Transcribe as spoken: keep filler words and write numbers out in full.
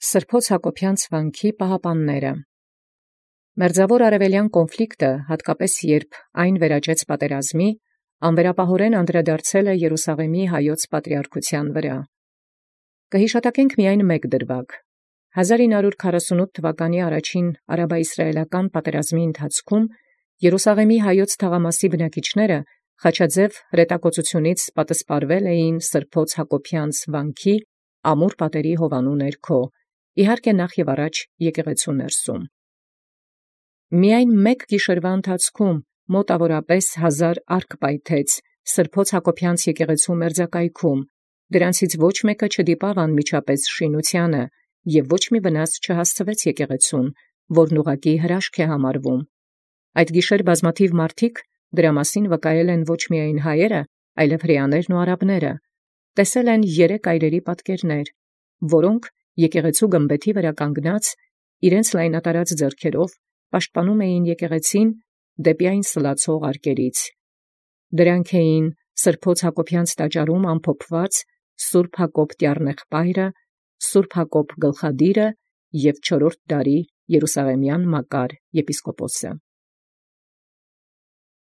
Սրբոց Հակոբեանց վանքի պահապանները։ Մերձաւոր արևելեան կոնֆլիկտը, հատկապես երբ այն վերաճեց պատերազմի, անվերապահորեն անդրադարձել է Երուսաղեմի հայոց պատրիարքութեան վրա։ Կհիշատակենք միայն մեկ դրվագ. հազար ինը հարյուր քառասունութ թվականի առաջին արաբա-իսրայելական պատերազմի ընթացքում Երուսաղեմի հայոց թաղամասի բնակիչները խաչաձև հրետակոծութիւնից պատսպարվել էին Սրբոց Հակոբեանց վանքի ամուր պատերի հովանու ներքո, իհարկե նախ և առաջ եկեղեցու ներսում։ Միայն մեկ գիշերվա ընթացքում մոտավորապես հազար արք պայթեց Սրբոց Հակոբեանց եկեղեցու մերձակայքում, դրանցից ոչ մեկը չդիպավ անմիջապես շինութեանը, և ոչ մի վնաս չհասցվեց եկեղեցուն, որն ուղղակի հրաշք է համարվում։ Այդ գիշեր բազմաթիվ մարդիկ, դրա մասին վկայել են ոչ միայն հայերը, այլև հրեաներն ու արաբները, տեսել են երեք այրերի պատկերներ, որոնք եկեղեցու գմբեթի վրա կանգնած, իրենց լայնատարած ձեռքերով պաշտպանում էին եկեղեցին դեպի այն սլացող արկերից։ Դրանք էին Սրբոց Հակոբեանց տաճարում ամփոփված Սուրբ Հակոբ տյառնեղբայրը, Սուրբ Հակոբ գլխադիրը և չորրորդ դարի Երուսաղեմյան Մակար եպիսկոպոսը։